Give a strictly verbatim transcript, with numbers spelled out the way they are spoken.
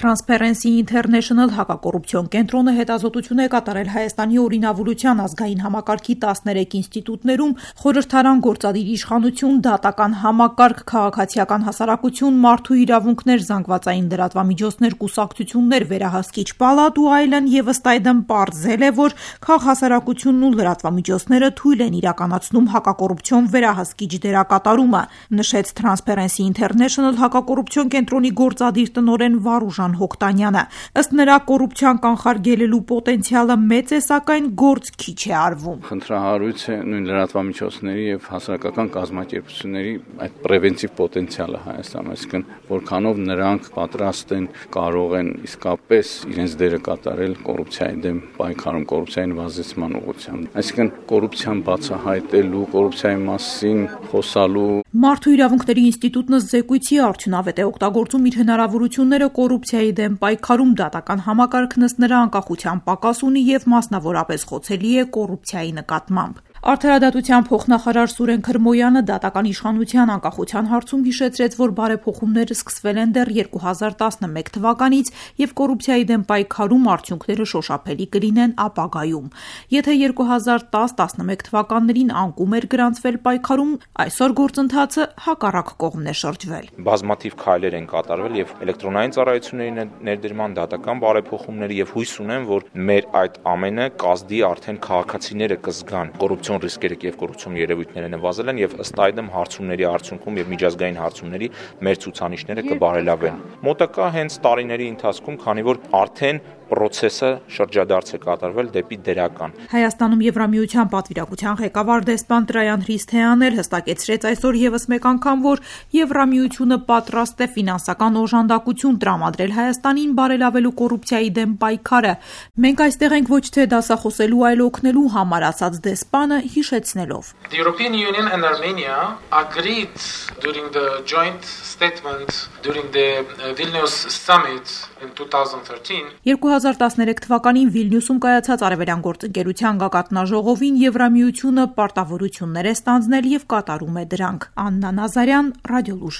Transparency International հակակոռուպցիոն կենտրոնը հետազոտություն է կատարել Հայաստանի օրինավարության ազգային համակարգի տասներեք ինստիտուտներում խորհրդարան գործադիր իշխանություն, դատական համակարգ, քաղաքացիական հասարակություն, մարդու իրավունքներ, զանգվածային լրատվամիջոցներ, կուսակցություններ, վերահսկիչ պալատ ու այլն, եւ ըստ այդմ պարզել է, որ քաղհասարակությունն ու լրատվամիջոցները թույլ են իրականացնում հակակոռուպցիոն վերահսկիչ դերակատարումը, նշեց Transparency International հակակոռուպցիոն կենտրոնի գործադիր տնօրեն Վարուժան Հոկտանյանը։ Ըստ նրա, կոռուպցիան կանխարգելելու պոտենցիալը մեծ է, սակայն գործ քիչ է արվում։ Խնդրահարույց է նույն լրատվամիջոցների եւ հասարակական կազմակերպությունների այդ պրևենտիվ պոտենցիալը Հայաստանում, այսինքն որքանով նրանք պատրաստ են, կարող են իսկապես իրենց դերը կատարել կոռուպցիայի դեմ պայքարում, կոռուպցիայի նվազեցման ուղղությամբ։ Այսինքն կոռուպցիան բացահայտելու, կոռուպցիայի մասին խոսալու։ Մարդու իրավունքների ինստիտուտն զեկույցի արդյունավետ է օգտագործում իր հնարավորությունները կոռուպցիայի դեմ պայքարում, դատական համակարգն ըստ նրա անկախության պակաս ունի եւ մասնավորապես խոցելի է կոռուպցիայի նկատմամբ։ Արդարադատության փոխնախարար Սուրեն Քրմոյանը դատական իշխանության անկախության հարցում հիշեցրեց, որ բարեփոխումները սկսվել են դեռ երկու հազար տասնմեկ թվականից եւ կոռուպցիայի դեմ պայքարում արդյունքները շոշափելի կլինեն ապագայում։ Եթե երկու հազար տաս տասնմեկ թվականներին անկում էր գրանցվել պայքարում, այսօր գործընթացը հակառակ կողմն է շրջվել։ Բազմաթիվ քայլեր են կատարվել եւ էլեկտրոնային ծառայությունների ներդրման, դատական բարեփոխումների եւ հույս ունեմ, որ մեր այդ ամենը կազդի արդեն քաղաքացիները կզգան կոռուպցիոն ռիսկերը եւ կոռուպցիոն երևույթները նվազել են եւ ըստ այդմ հարցումների արդյունքում եւ միջազգային հարցումների մեր ցուցանիշները կբարելավեն։ Մոտակա հենց տարիների ընթացքում, քանի որ արդեն պրոցեսը շրջադարձ է կատարվել դեպի դերական։ Հայաստանում Եվրամիության պատվիրակության ղեկավար դեսպան Տրայան Հրիսթեյանն էլ հստակեցրեց այսօր եւս մեկ անգամ, որ Եվրամիությունը պատրաստ է ֆինանսական օժանդակություն տրամադրել Հայաստանին բարելավելու կոռուպցիայի դեմ պայքարը։ Մենք այստեղ ենք ոչ թե դասախոսելու, այլ օգնելու համար, ասաց դեսպանը, հիշեցնելով. The European Union and Armenia agreed during the joint statement during the Vilnius summit in twenty thirteen. երկու հազար տասներեք թվականին Վիլնյուսում կայացած Արևելյան գործընկերության գագաթնաժողովին Եվրամիությունը պարտավորություններ է ստանձնել եւ կատարում է դրանք։ Աննա Նազարյան, Ռադիոլուժ։